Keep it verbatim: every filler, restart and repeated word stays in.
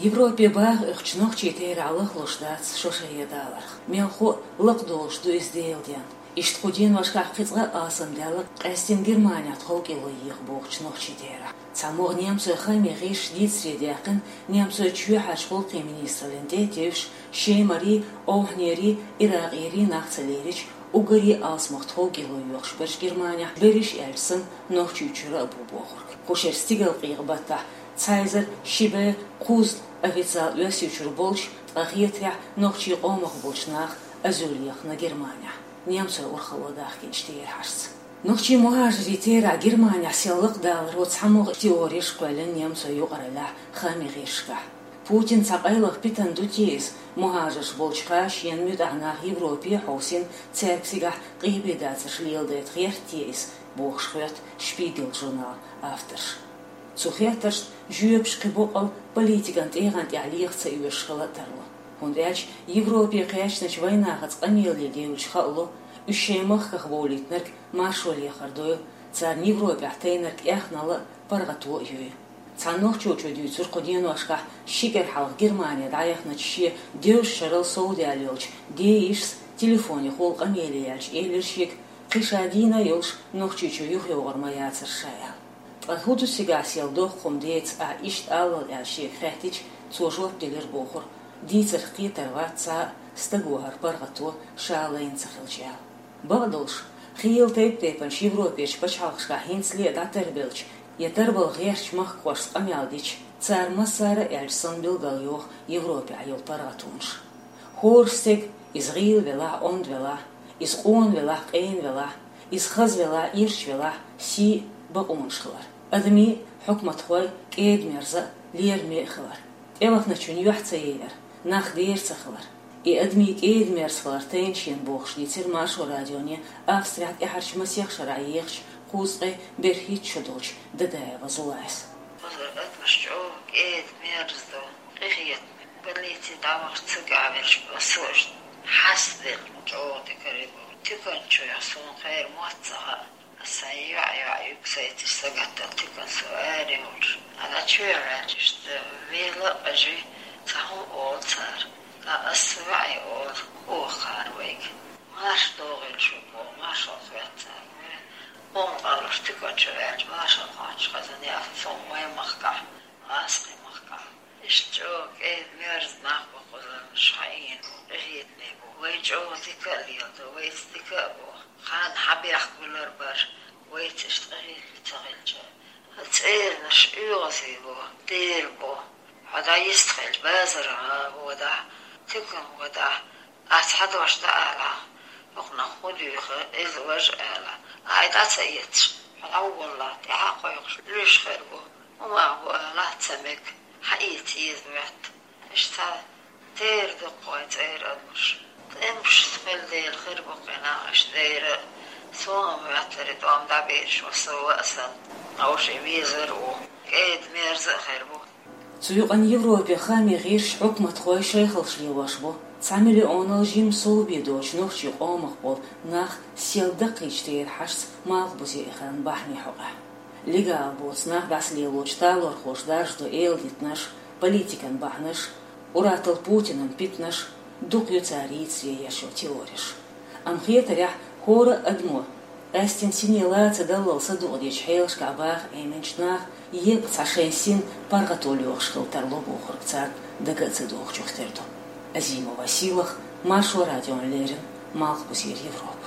Европе баха оьхучу нохчий терахь лахлуш дац шо шайгара даларх. Мелхо а лакхадолуш ду иза Делан денна. Иштта кху деношкахь кхин цкъа а алсамдаьлла къаьстина Германехь тховкӀело еха бохучу нохчий терахь. ЦхьамогӀа немцойн хаамийн гӀирсаша дийцаре даьккхина немцойн чоьхьарчу гӀуллакхийн министраллина тӀе а тевжаш, Шемарий, Овхьанерий, Иракъерий нах ца лерича, уггаре а алсамох тховкӀело йоьхуш берш Германехь берриш аьлча санна Нохчийчуьра а бу бохург. Кху шеран стигалкъекъа баттахь цхьа эзар ши бӀе кхузза официалан Оьрсийчуьра болчу, ткъа хетарехь нохчийн къомах болчу наха азуьл ехна Германехь, немцойн урхалло дахкинчу терахьашца. Нохчийн мухӀажарийн терахь Германехь сел лакхадаларо цхьамогӀа теореш кхоьллина немцойн юкъараллехь хаамийн гӀирсашкахь. Путинна цхьа къайлаха питана ду те иза, мухӀажарш болчу хана шена муьтӀахь нах Европе а хьовсийна, цаьрга цигахь къепедацарш леладайта гӀерта те иза, бохуш хоьтту Шпигел журналан авторша. Цу хеттаршна жоьпаш кхин боккъал политикан тӀегӀан тӀехь леха ца оьшуш хила а тарло. ХӀунда аьлча Европе кхаьчначу вайнахаца къамеле девлча хаало, уьш шайн махках бовлийтинарг маршо лехар дойла, царна Европехь тайнарг эхналла а, паргӀато а йойла. Цхьана нохчочо дуьйцура кху деношкахь ши кӀира хьалха Германе дӀаяхначу шен девзачу шарал совдаьлла йолчу дейишас телефонехула къамеле яьлча, элира шега, кхин ша дийна а йолуш Нохчийчу юхайогӀур ма яцара ша аьлла. Ткъа хӀун ду цигахь сел доккха хӀума деца ахь иштта аллал аьлла шега хаьттича, цо жоп делира бохура, дийцарх кхетар вац цхьа а, стага хӀара паргӀато ша лайна ца хилча аьлла. Бакъдолуш, хийла тайп-тайпанчу Европерчу пачхьалкхашкахь хӀинцале а дӀатарбелча я тарбала гӀертачу махкахошца къамел дича, цара массара а аьлча санна билгалйоху Европехь йолу паргӀатонаш. ХӀора стеган, иза гӀийла велахь, онда велахь, иза къона велахь, къена велахь, иза хаза велахь, ирча велахь, сий а, бакъонаш хилар. Адамийн а, хьукматхойн а кӀеда-мерза а, лераме а хилар. ТӀевахначун юьхь ца яйар, нах дера ца хилар. И адамийн кӀеда-мерза хилар тайна шена бохуш дийцира Маршо радионе Австрехь тӀаьхьарчу масех шарахь ехачу кхузткъе берхӀитта шо долчу Дадаева Зулайс. Кхузара адамаш чӀогӀа кӀеда-мерза ду, къинхетаме. Больнице дӀавахча цигахь верш массо а хьаставелла чӀогӀа дика карийна бу. Туьканчохь суна кхеран мотт ца хаьа. Аса йоӀ-йоӀ юксайташ сагатдала туькана со аре волуш. Ана чоьхьа ваьлча иштта вела а къажий, цхьа хӀума олу цара. Ткъа аса ваьӀе олу, оха кхара вайга. Марша догӀийла шу боху, маршалла хоьтту цара. Къоман къаллуш туьканчу ваьлча, маршалла хоттуш хазан яхна суна вайн махкахь, Аскхи махкахь. Иштта чӀогӀа кӀеда-мерза нах бу кхузарнаш, хьаийна бу, къинхетаме бу. Вай чӀогӀа дика а леладо, вайца дика а бо. Хан хьан бехк гулар бара, вайца иштта къинхетаме ца хилча. ХӀан цӀеранаш оьгӀазе бо, дера бо. Хьо дӀа йистхилча базара гӀа водахь, туькана водахь, ахь цхьа дош дӀаалахь, хӀокхунах хӀун дуьйху, иза важа ала, ахь дӀа ца эцаш, хьо дӀаволлахь, тӀаьхьа кхойкхуш, луьйш хир бу, хӀума бу алахь ца мега, хьаийца еза моьтту. Иштта дера ду кху вайн цӀера адамаш. ТӀемаш хила дела хир бу кхин нах иштта дера. Суна моьттура и тӀом дӀабераш ву со а санна, хьовша везар а ву. КӀеда-мерза а хир бу. Цу юкъана Европе хаамийн гӀирсаш, хьукматхой шайхалш лелош бу цхьа миллионал жимма совбе доцучу нохчийн къомах болу нах сел даккхийчу терахьашца Малхбузе эхаран бахьанийн хьокъехь. Легал боцу нах дӀасалелочу талорхоша даржадо эладитанаш, политикан бахьанаш, ур-атталла Путинан питанаш, дукха ю цара йийцаре еш йолу теореш. Амма хетарехь, хӀора а адамо къаьстина сине лаца даллал садукъадечу хьелашкахь баха Ӏеминчу наха еккъа цхьа шайн син паргӀато лоьхуш хила тарло бохург царна дага а ца дохучух тера ду. Азимова Сийлаха, Маршо радиона леррина, Малхбузера Европа.